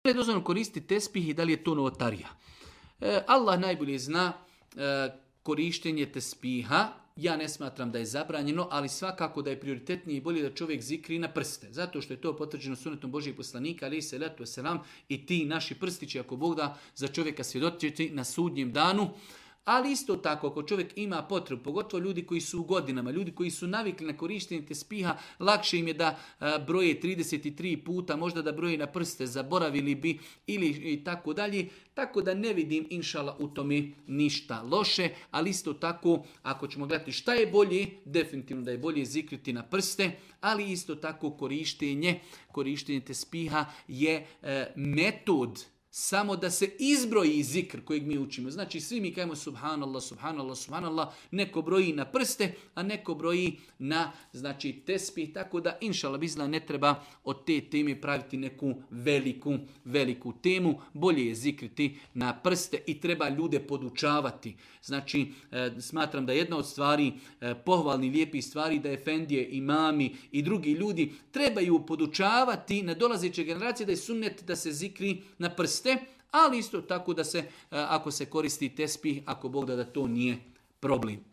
li je dozvoljeno koristiti tespih i da li je to novotarija? Allah najbolje zna korištenje tespiha. Ja ne smatram da je zabranjeno, ali svakako da je prioritetnije i bolje da čovjek zikri na prste. Zato što je to potvrđeno sunnetom Božijeg poslanika, alejhi selatu vesselam, i ti naši prstići, ako Bog da, za čovjeka svjedočiti na sudnjem danu. Ali isto tako, ako čovjek ima potrebu, pogotovo ljudi koji su u godinama, ljudi koji su navikli na korištenje tespiha, lakše im je da broje 33 puta, možda da broje na prste, zaboravili bi ili i tako dalje. Tako da ne vidim, inšala, u tome ništa loše, ali isto tako, ako ćemo gledati šta je bolje, definitivno da je bolje zikriti na prste, ali isto tako korištenje tespiha je metod samo da se izbroji zikr kojeg mi učimo. Znači svi mi kajemo subhanallah, subhanallah, subhanallah, neko broji na prste, a neko broji na tespih, tako da inšallah bizna ne treba od te teme praviti neku veliku temu. Bolje je zikriti na prste i treba ljude podučavati. Znači smatram da jedna od stvari, pohvalni lijepih stvari, da efendije, imami i drugi ljudi trebaju podučavati na dolazeće generacije da je sunnet da se zikri na prste, ali isto tako da se, ako se koristi tespih, ako Bog da to nije problem.